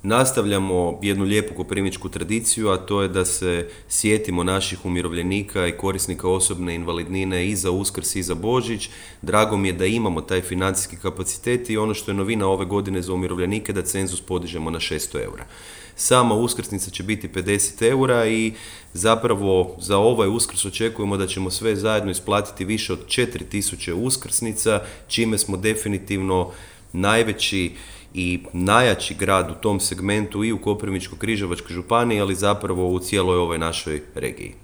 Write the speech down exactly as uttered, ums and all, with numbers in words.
Nastavljamo jednu lijepu koprivničku tradiciju, a to je da se sjetimo naših umirovljenika i korisnika osobne invalidnine i za Uskrs i za Božić. Drago mi je da imamo taj financijski kapacitet i ono što je novina ove godine za umirovljenike da cenzus podižemo na šesto eura. Sama uskrsnica će biti pedeset eura i zapravo za ovaj Uskrs očekujemo da ćemo sve zajedno isplatiti više od četiri tisuće uskrsnica, čime smo definitivno najveći i najjači grad u tom segmentu i u Koprivničko-križevačkoj županiji, ali zapravo u cijeloj ovoj našoj regiji.